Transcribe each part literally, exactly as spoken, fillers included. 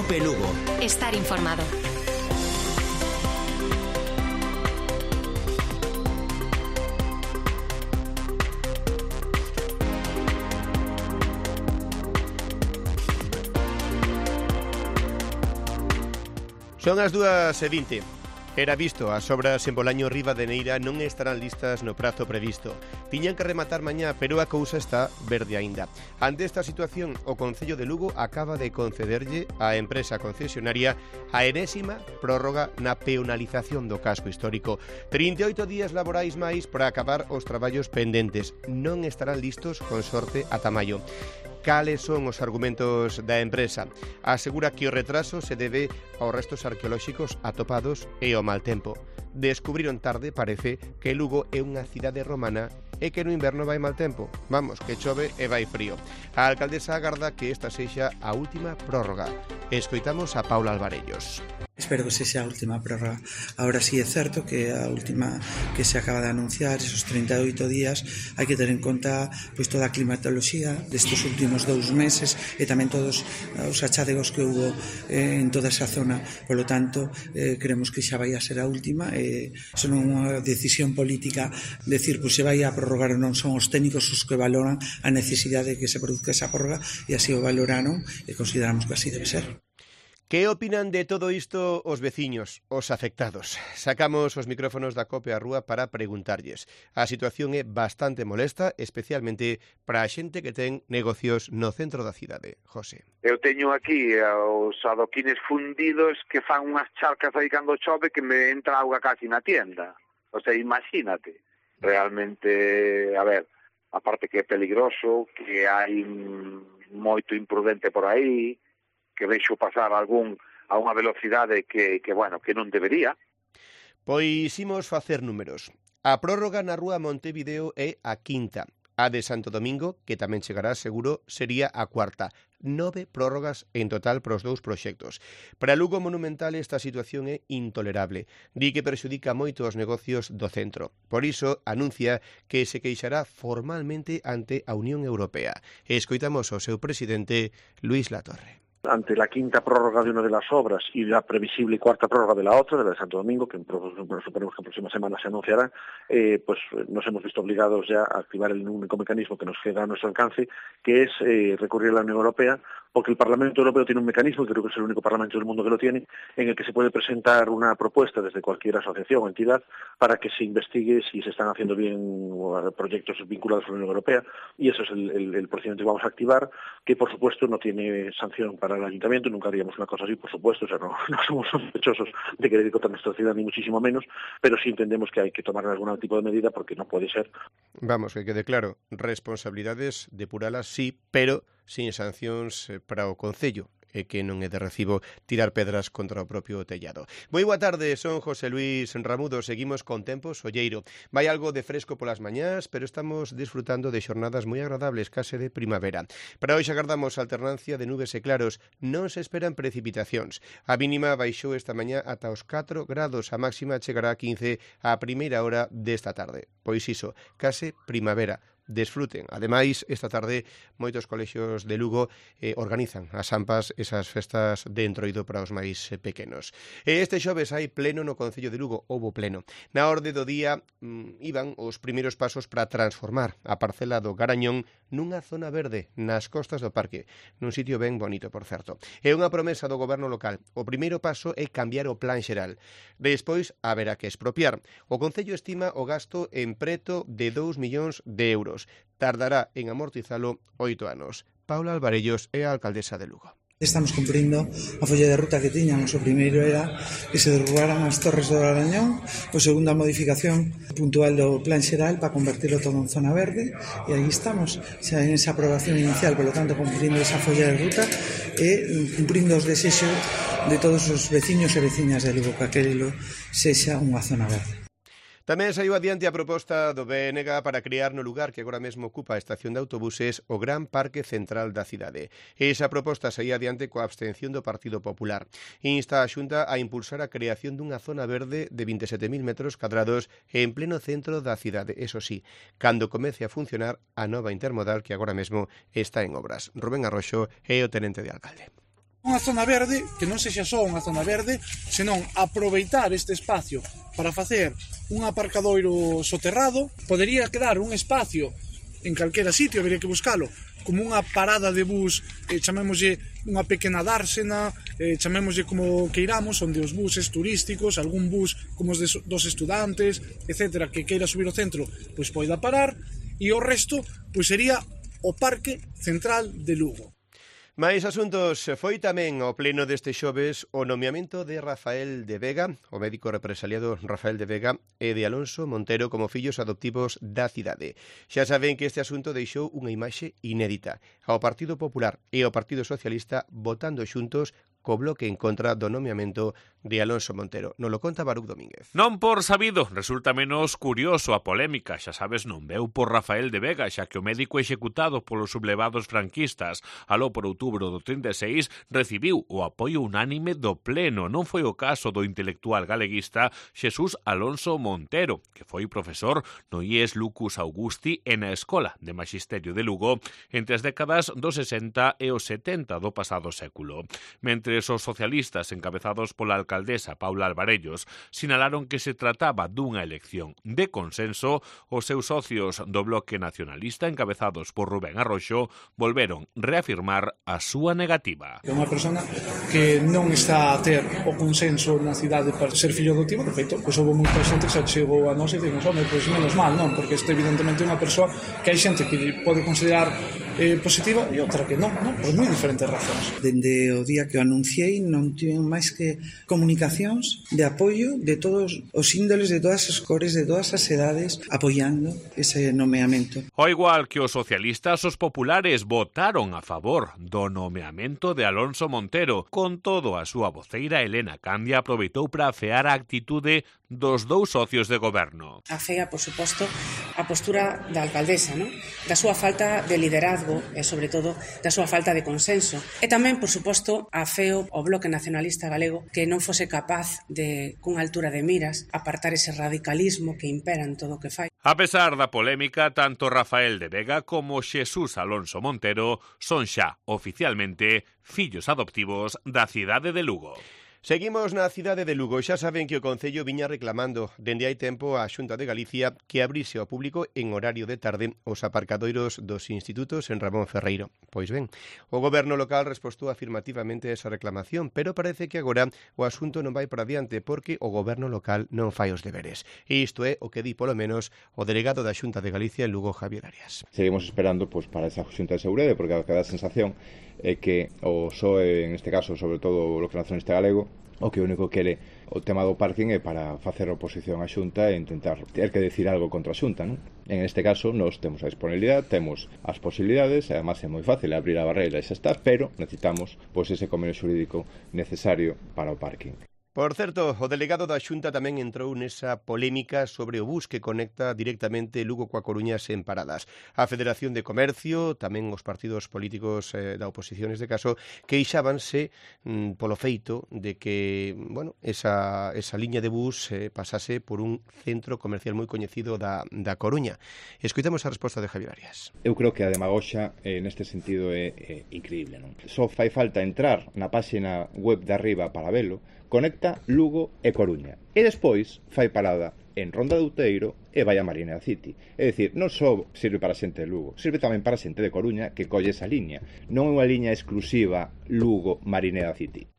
Cope Lugo. Estar informado. Son as dúas e vinte. Era visto, as obras en Bolaño Riba de Neira non estarán listas no prazo previsto. Tiñan que rematar mañá, pero a cousa está verde aínda. Ante esta situación, o Concello de Lugo acaba de concederlle á empresa concesionaria a enésima prórroga na peonalización do casco histórico. trinta e oito días laborais máis para acabar os traballos pendentes. Non estarán listos con sorte ata maio. Cales son os argumentos da empresa? Asegura que o retraso se debe aos restos arqueolóxicos atopados e ao mal tempo. Descubriron tarde, parece, que Lugo é unha cidade romana e que no inverno vai mal tempo. Vamos, que chove e vai frío. A alcaldesa agarda que esta sexa a última prórroga. Escoitamos a Paula Alvarellos. Espero que sexa a última prórroga. Ahora sí é certo que a última que se acaba de anunciar, esos trinta e oito días, hai que ter en conta pois toda a climatoloxía destes últimos dous meses e tamén todos os achadegos que houve eh, en toda esa zona. Por lo tanto, eh, creemos que xa vai a ser a última e son unha decisión política decir, pois se vai a prorrogar ou non, son os técnicos os que valoran a necesidade de que se produzca esa prórroga e así o valoraron e consideramos que así debe ser. Que opinan de todo isto os veciños, os afectados? Sacamos os micrófonos da Cope á rúa para preguntarlles. A situación é bastante molesta, especialmente para a xente que ten negocios no centro da cidade. José. Eu teño aquí os adoquines fundidos que fan unhas charcas aí cando chove que me entra auga casi na tienda. O sea, imagínate. Realmente, a ver, aparte que é peligroso, que hai moito imprudente por aí, que vexo pasar algún a unha velocidade que, que, bueno, que non debería. Pois imos facer números. A prórroga na rúa Montevideo é a quinta. A de Santo Domingo, que tamén chegará seguro, sería a cuarta. Nove prórrogas en total para os dous proxectos. Para Lugo Monumental esta situación é intolerable. Di que perxudica moito os negocios do centro. Por iso anuncia que se queixará formalmente ante a Unión Europea. Escoitamos ao seu presidente, Luis Latorre. Ante la quinta prórroga de una de las obras y la previsible cuarta prórroga de la otra, de la de Santo Domingo, que suponemos que en próxima semana se anunciará, eh, pues nos hemos visto obligados ya a activar el único mecanismo que nos queda a nuestro alcance, que es eh, recurrir a la Unión Europea, porque el Parlamento Europeo tiene un mecanismo, y creo que es el único Parlamento del mundo que lo tiene, en el que se puede presentar una propuesta desde cualquier asociación o entidad para que se investigue si se están haciendo bien proyectos vinculados a la Unión Europea, y eso es el, el, el procedimiento que vamos a activar, que por supuesto no tiene sanción para el ayuntamiento, nunca haríamos una cosa así, por supuesto, o sea, no, no somos sospechosos de querer ir contra nuestra ciudad, ni muchísimo menos, pero sí entendemos que hay que tomar algún tipo de medida porque no puede ser. Vamos, que quede claro, responsabilidades depuralas sí, pero sin sancións para o Concello, e que non é de recibo tirar pedras contra o propio tellado. Moi boa tarde, son José Luis Ramudo, seguimos con tempo solleiro. Vai algo de fresco polas mañás, pero estamos disfrutando de xornadas moi agradables, case de primavera. Para hoxe agardamos alternancia de nubes e claros, non se esperan precipitacións. A mínima baixou esta mañá ata os catro grados, a máxima chegará a quince a primeira hora desta tarde. Pois iso, case primavera. Desfruten. Ademais, esta tarde moitos colexios de Lugo eh, organizan as ampas, esas festas de entroido para os máis eh, pequenos. E este xoves hai pleno no Concello de Lugo, houbo pleno. Na orde do día mm, iban os primeiros pasos para transformar a parcela do Garañón nunha zona verde nas costas do parque, nun sitio ben bonito, por certo. É unha promesa do goberno local. O primeiro paso é cambiar o plan xeral. Despois, haberá que expropiar. O Concello estima o gasto en preto de dous millóns de euros. Tardará en amortizalo oito anos. Paula Alvarellos é a alcaldesa de Lugo. Estamos cumprindo a folla de ruta que tiñamos. O primeiro era que se derrubaran as torres do Garañón, o segundo a modificación puntual do plan xeral para convertirlo todo en zona verde, e aí estamos, xa en esa aprobación inicial, polo tanto cumprindo esa folla de ruta e cumprindo os desexos de todos os veciños e veciñas de Lugo, que aquilo sexa unha zona verde. Tamén saiu adiante a proposta do B N G para crear no lugar que agora mesmo ocupa a estación de autobuses o Gran Parque Central da cidade. Esa proposta saía adiante coa abstención do Partido Popular. Insta a Xunta a impulsar a creación dunha zona verde de vinte e sete mil metros cadrados en pleno centro da cidade. Eso sí, cando comece a funcionar a nova intermodal que agora mesmo está en obras. Rubén Arroxo é o tenente de alcalde. Unha zona verde que non sexa só unha zona verde, senón aproveitar este espacio para facer un aparcadoiro soterrado. Podería quedar un espacio en calquera sitio, habería que buscalo, como unha parada de bus, eh, chamémoslle unha pequena dársena, eh, chamémoslle como queiramos, onde os buses turísticos, algún bus como os de, dos estudantes, etcétera, que queira subir ao centro, pois poida parar, e o resto pois sería o Parque Central de Lugo. Máis asuntos. Foi tamén ao pleno deste xoves o nomeamento de Rafael de Vega, o médico represaliado Rafael de Vega, e de Alonso Montero como fillos adoptivos da cidade. Xa saben que este asunto deixou unha imaxe inédita ao Partido Popular e ao Partido Socialista votando xuntos co bloque en contra do nomeamento de Alonso Montero. Non lo conta Baruch Domínguez. Non por sabido, resulta menos curioso a polémica, xa sabes, non veu por Rafael de Vega, xa que o médico executado polos sublevados franquistas aló por outubro do trinta e seis recibiu o apoio unánime do pleno. Non foi o caso do intelectual galeguista Xesús Alonso Montero, que foi profesor no I E S Lucus Augusti e na Escola de Maxisterio de Lugo entre as décadas dos sesenta e os setenta do pasado século. Mentre os socialistas encabezados pola alcaldesa Paula Alvarellos sinalaron que se trataba dunha elección de consenso, os seus socios do bloque nacionalista encabezados por Rubén Arroxo volveron reafirmar a súa negativa. É unha persona que non está a ter o consenso na cidade para ser fillo adoptivo. De feito, pois houve moita xente que se chegou a nós e dicimos, home, pois menos mal, non? Porque este evidentemente é unha persoa que hai xente que pode considerar eh, positiva e outra que non, non? Por moi diferentes razóns. Dende o día que o anunciei non tiven máis que comunicacións de apoio de todos os índoles, de todas as cores, de todas as edades, apoiando ese nomeamento. Ao igual que os socialistas, os populares votaron a favor do nomeamento de Alonso Montero. Con todo, a súa voceira Elena Candia aproveitou para afear a actitude dos dous socios de goberno. Afea, por suposto, a postura da alcaldesa, ¿no? Da súa falta de liderazgo e, sobre todo, da súa falta de consenso. E tamén, por suposto, afeo o Bloque Nacionalista Galego que non fose capaz de, cunha altura de miras, apartar ese radicalismo que impera en todo o que fai. A pesar da polémica, tanto Rafael de Vega como Xesús Alonso Montero son xa oficialmente fillos adoptivos da cidade de Lugo. Seguimos na cidade de Lugo. Xa saben que o Concello viña reclamando dende hai tempo á Xunta de Galicia que abrise ao público en horario de tarde os aparcadoiros dos institutos en Ramón Ferreiro. Pois ben, o goberno local respostou afirmativamente a esa reclamación, pero parece que agora o asunto non vai para diante porque o goberno local non fai os deberes. E isto é o que di polo menos o delegado da Xunta de Galicia en Lugo, Javier Arias. Seguimos esperando pois, para esa Xunta de Seguridade, porque a cada sensación é que o P S O E, en este caso, sobre todo o Bloque Nacionalista Galego, o que único quere o tema do parking é para facer oposición á Xunta e intentar ter que decir algo contra a Xunta, non? En este caso, nós temos a disponibilidade, temos as posibilidades, e además é moi fácil abrir a barreira e xa está, pero necesitamos pois, ese convenio xurídico necesario para o parking. Por certo, o delegado da Xunta tamén entrou nesa polémica sobre o bus que conecta directamente Lugo coa Coruña sen paradas. A Federación de Comercio, tamén os partidos políticos eh, da oposición neste caso, queixábanse mm, polo feito de que, bueno, esa, esa liña de bus eh, pasase por un centro comercial moi coñecido da, da Coruña. Escoitamos a resposta de Javier Arias. Eu creo que a demagoxa eh, neste sentido é, é increíble, non? Só fai falta entrar na páxina web de arriba para velo, conecta Lugo e Coruña. E despois fai parada en Ronda de Outeiro e vai a Marineda City. É dicir, non só sirve para a xente de Lugo, sirve tamén para a xente de Coruña que colle esa liña. Non é unha liña exclusiva Lugo-Marineda City.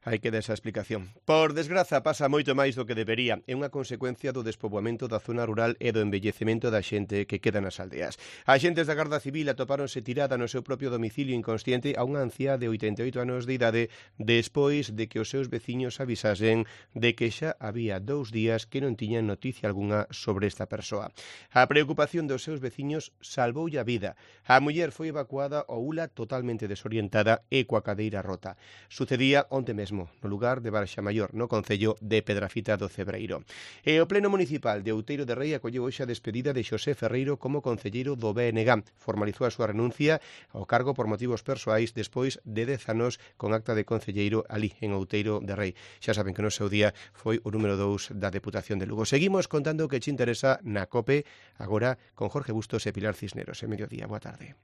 Hai que dar esa explicación. Por desgraza, pasa moito máis do que debería. É unha consecuencia do despoboamento da zona rural e do envellecemento da xente que queda nas aldeas. Axentes da Garda Civil atopáronse tirada no seu propio domicilio inconsciente a unha anciá de oitenta e oito anos de idade despois de que os seus veciños avisasen de que xa había dous días que non tiñan noticia algunha sobre esta persoa. A preocupación dos seus veciños salvoulle a vida. A muller foi evacuada ao Ula totalmente desorientada e coa cadeira rota. Sucedía onte mesmo no lugar de Barxamayor, no concello de Pedrafita do Cebreiro. E o Pleno Municipal de Outeiro de Rei acolleu hoxe a despedida de Xosé Ferreiro como concelleiro do B N G. Formalizou a súa renuncia ao cargo por motivos persoais despois de dez anos con acta de concelleiro ali en Outeiro de Rei. Xa saben que no seu día foi o número dous da Deputación de Lugo. Seguimos contando que che interesa na COPE agora con Jorge Bustos e Pilar Cisneros. En mediodía, boa tarde.